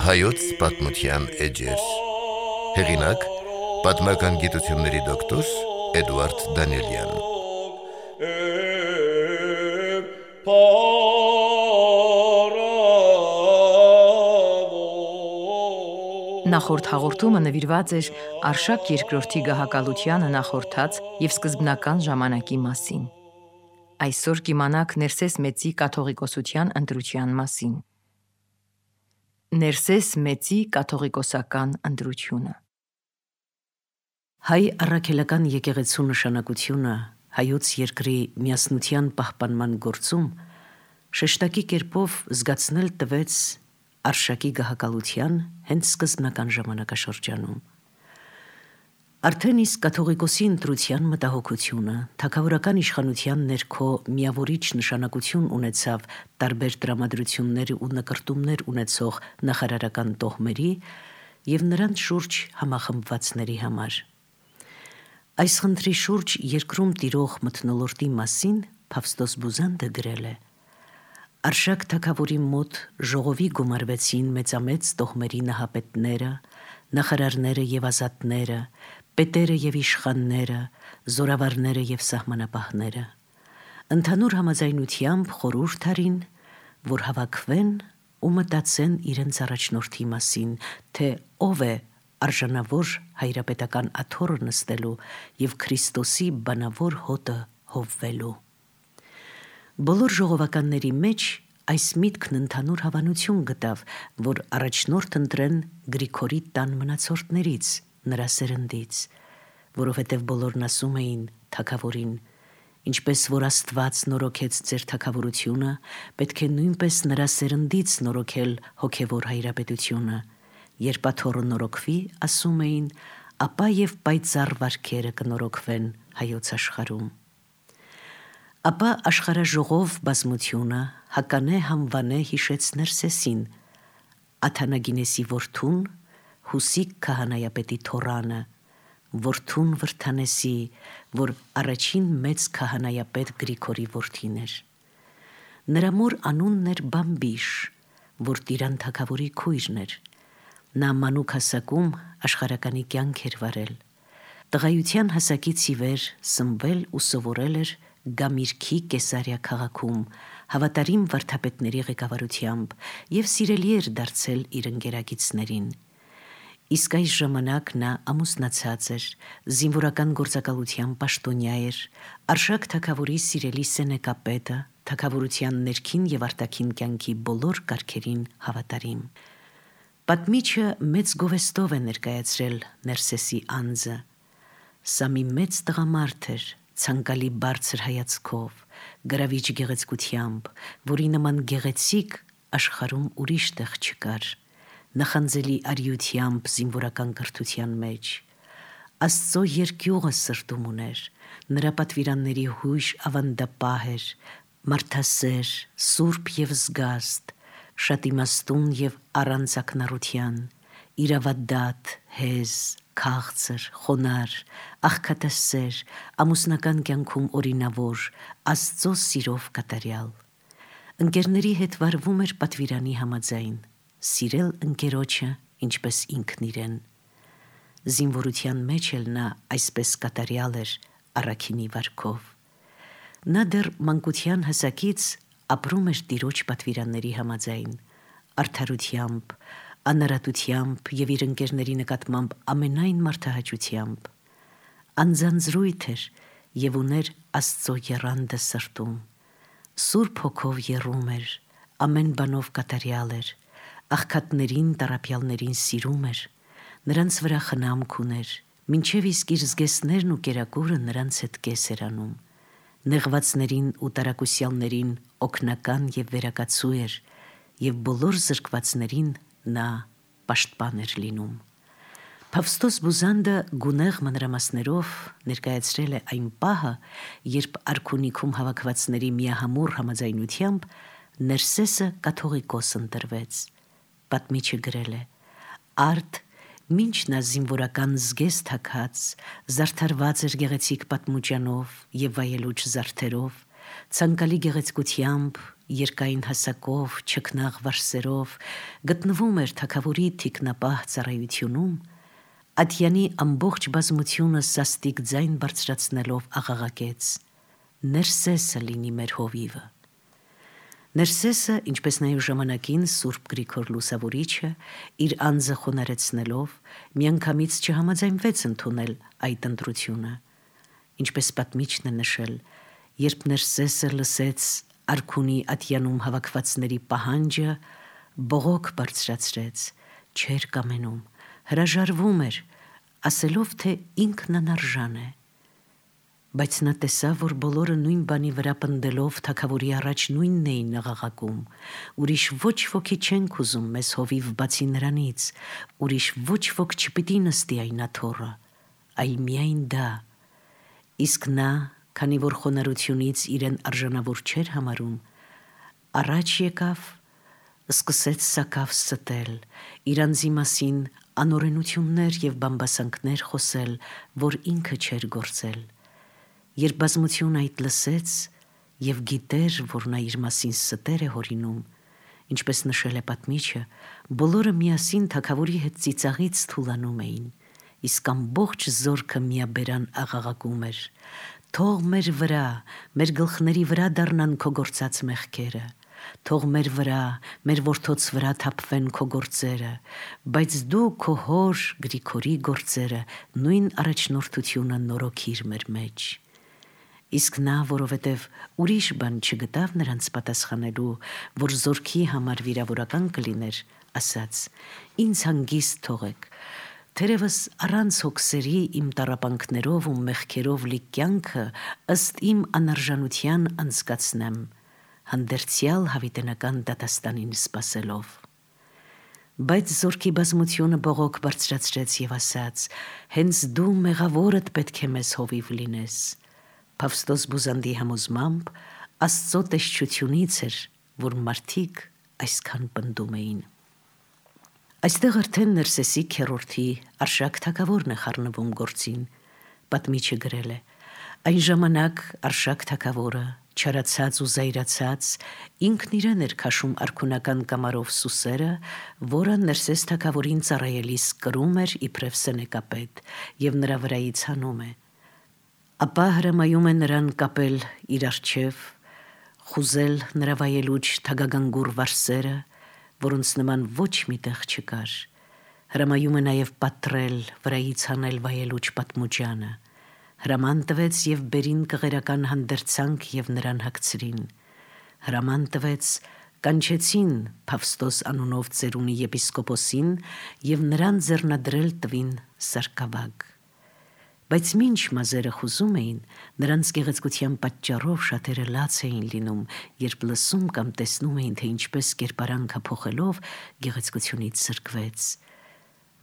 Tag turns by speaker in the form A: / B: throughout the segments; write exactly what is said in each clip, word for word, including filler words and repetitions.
A: Հայոց պատմության էջեր։ Հեղինակ՝ պատմական գիտությունների դոկտոր Էդուարդ Դանիելյան։
B: Նախորդ հաղորդումը նվիրված էր Արշակ երկրորդի գահակալությանը նախորդած և սկզբնական ժամանակի մասին։ Այսօր կիմանաք Ներսես Մեծի կաթողիկոսության ընտրության մասին։ Ներսես Մեծի կաթողիկոսական ընտրությունը։ Հայ առաքելական եկեղեցու նշանակությունը հայոց երկրի միասնության պահպանման գործում շեշտակի կերպով զգացնել տվեց Արշակի գահակալության հենց սկզբնական ժամանակաշրջանում։ Արդեն իսկ կաթողիկոսի ընտրության մտահոգությունը թագավորական իշխանության ներքո միավորիչ նշանակություն ունեցավ տարբեր տրամադրություններ ու նկրտումներ ունեցող նախարարական տոհմերի և նրանց շուրջ համախմբվածների համար։ Այս խնդրի շուրջ երկրում տիրող մթնոլորտի մասին Փավստոս Բուզանդը գրել է. Արշակ թագավորի մոտ ժողովի գումարվեցին մեծամեծ տոհմերի նահապետները, նախարարները և ազատները, պետերը և իշխանները, զորավարները և սահմանապահները։ Ընդհանուր համաձայնությամբ խորհուրդ արին, որ հավաքվեն ու մտածեն իրենց առաջնորդի մասին, թե ով է արժանավոր հայրապետական աթոռը նստելու և Քրիստոսի բանավոր հոտը հովվելու։ Բոլոր ժողովականների մեջ այս միտքն ընդհանուր հավանություն գտավ, որ առաջնորդ ընտրեն Գրիգորի տան մնացորդներից, նրա սերնդից, որովհետև բոլորն ասում էին թագավորին. ինչպես որ Աստված նորոգեց ձեր թագավորությունը, պետք է նույնպես նրա սերնդից նորոգել հոգևոր հայրապետությունը։ Երբ աթոռը նորոգվի, ասում էին, ապա և պայծառ վարքերը կնորոգվեն հայոց աշխարհում։ Ապա աշխարհաժողով բազմությունը Հականե հանվանե հիշեց Ներսեսին, Աթանագինեսի որդուն, Հուսիկ քահանայապետի թոռանը, որդուն Վրդանեսի, որ առաջին մեծ քահանայապետ Գրիգորի որդին էր։ Նրա մոր անունն էր Բամբիշ, որ Տիրան թագավորի քույրն էր։ Նա մանուկ հասակում աշխարհականի կյանք էր վարել։ Տղայության հասակից ի վեր սնվել ու սովորել էր Գամիրքի Կեսարիա քաղաքում հավատարիմ վարդապետների ղեկավարությամբ և սիրելի էր դարձել իր ընկերագիծներին։ Իսկ այս ժամանակ նա ամուսնացած էր, զինվորական գործակալության պաշտոնյա էր, Արշակ թագավորի սիրելի սենեկապետը, թագավորության ներքին և արտաքին կյանքի բոլոր կարգերին հավատարիմ։ Պատմիչը մեծ գովեստով է ներկայացրել Ներսեսի անձը։ Սա մի մեծ տղամարդ էր, ցանկալի բարձր հայացքով, գրավիչ գեղեցկությամբ, որի նման գեղեցիկ աշխարհում ուրիշ տեղ չկար, նախանձելի արիությամբ զինվորական կրթության մեջ։ Աստծո երկյուղը սրտում ուներ, նրա պատվիրանների հույժ ավանդապահ էր, մարդասեր, սուրբ և զգաստ, շատ իմաստուն և առանց ակնառության, իրավադատ, հեզ, քաղցր, խոնարհ, աղքատասեր, ամուսնական կյանքում օրինավոր, Աստծո սիրով կատարյալ։ Ընկերների հետ վարվում էր պատվիրանի համաձայն, սիրել ընկերոջը, ինչպես ինքն իրեն։ Զինվորության մեջ էլ նա այսպես կատարյալ էր առաքինի վարքով։ Նա դեռ մանկության հասակից ապրում էր տիրոջ պատվիրանների համաձայն, արդարությամբ, անարատությամբ և իր ընկերների նկատմամբ ամենայն մարդահաճությամբ։ Անձանձրույթ էր և ուներ Աստծո եռանդը սրտում։ Սուրբ հոգով եռում էր, ամեն բանով կատարյալ էր, աղքատներին, տառապյալներին սիրում էր, նրանց վրա խնամք ուներ, մինչև իսկ իր զգեստներն ու կերակուրը նրանց հետ կես էր անում։ Նեղվածներին ու տարակուսյալներին օգնական և վերակացու էր, և բոլոր զրկվածներին նա պաշտպան էր լինում։ Փավստոս Բուզանդը գունեղ մանրամասներով ներկայացրել է այն պահը, երբ արքունիքում հավաքվածների միահամուռ համաձայնությամբ Ներսեսը կաթողիկոս ընտրվեց։ Պատմիչը գրել է. Արդ Մինչ նա զինվորական զգեստ թաքած, զարդարված էր գեղեցիկ պատմուճանով եւ վայելուչ զարդերով, ցանկալի գեղեցկությամբ, երկայն հասակով, չքնաղ վարսերով, գտնվում էր թագավորի թիկնապահ ծառայությունում, Ատյանի ամբողջ բազմությունը սաստիկ ձայն բարձրացնելով աղաղակեց. «Ներսեսը լինի մեր հովիվը»։ Ներսեսը, ինչպես նաև ժամանակին Սուրբ Գրիգոր Լուսավորիչը, իր անձը խոնարհեցնելով, միանգամից չհամաձայնվեց ընդունել այդ ընտրությունը։ Ինչպես պատմիչն է նշել, երբ Ներսեսը լսեց արքունի Ատյանում հավաքվածների պահանջը, բողոք բարձրացրեց, չէր կամենում, հրաժարվում էր, ասելով, թե ինքն անարժան է։ Բայց նա տեսավ, որ բոլորը նույն բանի վրա պնդելով թագավորի առաջ նույնն էին աղաղակում. «Ուրիշ ոչ ոքի չենք ուզում մեզ հովիվ բացի նրանից, ուրիշ ոչ ոք չպիտի նստի այն աթոռը, այլ միայն դա»։ Իսկ նա, քանի որ խոնարհությունից իրեն արժանավոր չէր համարում, առաջ եկավ, սկսեց սակավ ստել, իր անձի մասին անօրենություններ և բամբասանքներ խոսել, որ ինքը չէր գործել։ Երբ բազմությունը այդ լսեց և գիտեր, որ նա իր մասին ստեր է հորինում, ինչպես նշել է պատմիչը, բոլորը միասին թագավորի հետ ծիծաղից թուլանում էին, իսկ ամբողջ զորքը միաբերան աղաղակում էր. «Թող մեր վրա, մեր գլխների վրա դառնան քո գործած մեղքերը, թող մեր վրա, մեր որդոց վրա թափվեն քո գործերը, բայց դու քո հոր Գրիգորի գործերը նույն առաջնորդությունը նորոգիր մեր մեջ»։ Իսկ նա, որովհետև ուրիշ բան չգտավ նրանց պատասխանելու, որ զորքի համար վիրավորական կլիներ, ասաց. «Ինձ հանգիստ թողեք, թերևս առանց հոգսերի իմ տառապանքներով ու մեղքերով լի կյանքը ըստ իմ անարժանության անցկացնեմ, հանդերձյալ հավիտենական դատաստանին սպասելով»։ Բայց զորքի բազմությունը բողոք բարձրացրեց և ասաց. «Հենց դու մեղավորդ պետք է մեզ հովիվ լինես»։ Փավստոս Բուզանդի համոզմամբ Աստծո տեսչությունից էր, որ մարդիկ այսքան պնդում էին։ Այստեղ արդեն Ներսեսի քեռորդի Արշակ թագավորն է խառնվում գործին։ Պատմիչը գրել է. «Այն ժամանակ Արշակ թագավորը, չարացած ու զայրացած, ինքն իրեն էր քաշում արքունական կամարով սուսերը, որը Ներսես թագավորին ծառայելիս կրում էր իբրև սենեկապետ և նրա վրայից հանում է։ Ապա հրամայում է նրան կապել իր առջև, խուզել նրա վայելուչ թագագանգուր վարսերը, որոնց նման ոչ մի տեղ չկար։ Հրամայում է նաև պատռել, վրայից հանել վայելուչ պատմուճանը։ Հրաման տվեց և բերին կղերական հանդերձանք և նրան հագցրին։ Հրաման տվեց, կանչեցին Փավստոս անունով ծերունի եպիսկոպոսին և նրան ձեռնադրել տվին սարկավագ։ Բայց մինչ մազերը խուզում էին, նրանց գեղեցկության պատճառով շատերը լաց էին լինում, երբ լսում կամ տեսնում էին, թե ինչպես կերպարանքը փոխելով գեղեցկությունից զրկվեց։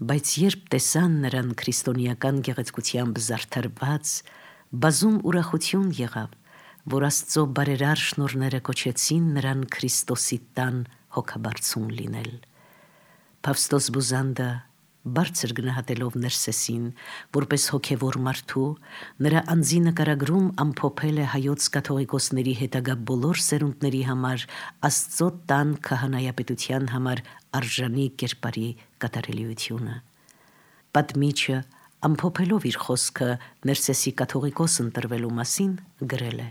B: Բայց երբ տեսան նրան քրիստոնեական գեղեցկությամբ զարդարված, բազում ուրախություն եղավ, որ Աստծո բարերար շնորհները կոչեցին նրան Քրիստոսի տան հոգաբարձուն լինել։ Փավստոս Բուզանդը, բարձր գնահատելով Ներսեսին, որպես հոգևոր մարդու, նրա անձի նկարագրում ամփոփել է հայոց կաթողիկոսների հետագա բոլոր սերունդների համար Աստծո տան քահանայապետության համար արժանի կերպարի կատարելիությունը։ Պատմիչը, ամփոփելով իր խոսքը Ներսեսի կաթողիկոս ընտրվելու մասին, գրել է.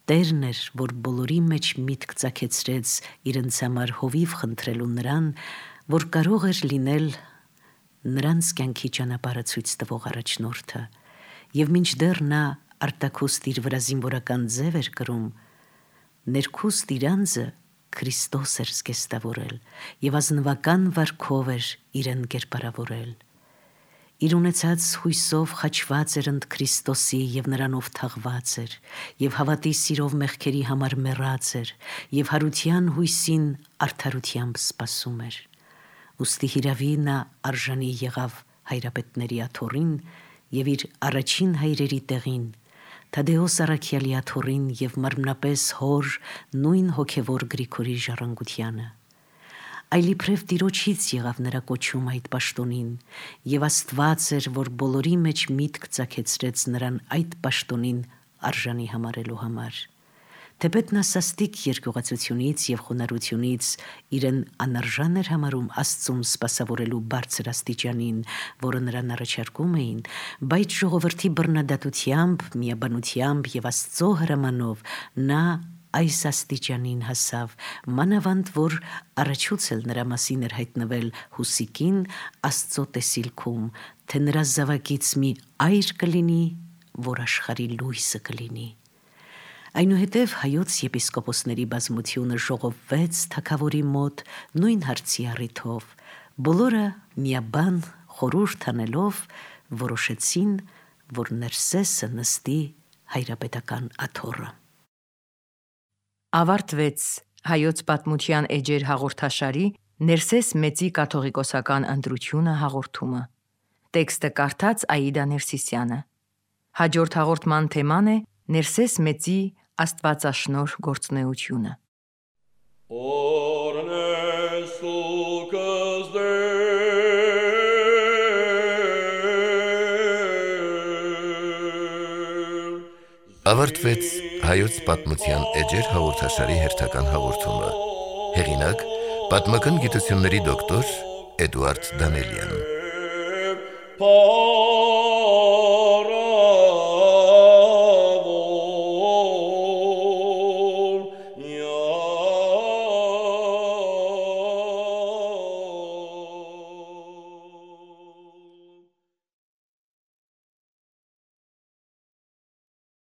B: «Տերն էր, որ բոլորի մեջ միտք ծագեցրեց իրենց համար հովիվ խնդրելու նրան, որ կարող էր լինել նրանց կյանքի ճանապարհը ցույց տվող առաջնորդը, և մինչդեռ նա արտաքուստ իր վրա զինվորական ձև էր կրում, ներքուստ իր անձը Քրիստոս էր զգեստավորել և ազնվական վարքով էր իրեն կերպարավորել։ Իր ունեցած հույսով խաչված էր ընդ Քրիստոսի և նրանով թաղված էր, և հավատի սիրով մեղքերի համար մեռած էր, և հարության հույսին արդարությամբ սպասում էր։ Ուստի հիրավի նա արժանի եղավ հայրապետների աթոռին և իր առաջին հայրերի տեղին, Թադեոս առաքյալի աթոռին և մարմնապես հոր նույն հոգևոր Գրիգորի ժառանգությանը։ այլիբրև տիրոջից եղավ նրա կոչում այդ պաշտոնին, եւ Աստված էր, որ բոլորի մեջ միտք ծագեցրեց նրան այդ պաշտոնին արժանի համարելու համար։ Թեպետ նա սաստիկ երկյուղացությունից եւ խոնարհությունից իրեն անարժան էր համարում Աստծուն սպասավորելու բարձր աստիճանին, որը նրան առաջարկում էին, բայց ժողովրդի բռնադատությամբ, միաբանությամբ եւ Աստծո հրամանով նա այս աստիճանին հասավ, մանավանդ որ առաջուց էլ նրա մասին էր հայտնվել Հուսիկին Աստծո տեսիլքում, թե նրա զավակից մի այր կլինի, որ աշխարհի լույսը կլինի։ Այնուհետև հայոց եպիսկոպոսների բազմությունը ժողովվեց թագավորի մոտ նույն հարցի առիթով, բոլորը միաբան խորհուրդ անելով որոշեցին, որ Ներսեսը նստի հայրապետական աթոռը։
C: Ավարտվեց հայոց պատմության էջեր հաղորդաշարի Ներսես մեծի կաթողիկոսական ընտրությունը հաղորդումը։ Տեքստը կարդաց Աիդա Ներսիսյանը։ Հաջորդ հաղորդման թեման է Ներսես մեծի աստվածաշնորհ գործունեությունը։
A: Ավարտվեց հայոց պատմության էջեր հաղորդաշարի հերթական հաղորդումը։ Հեղինակ՝ պատմական գիտությունների դոկտոր Էդուարդ Դանելյան։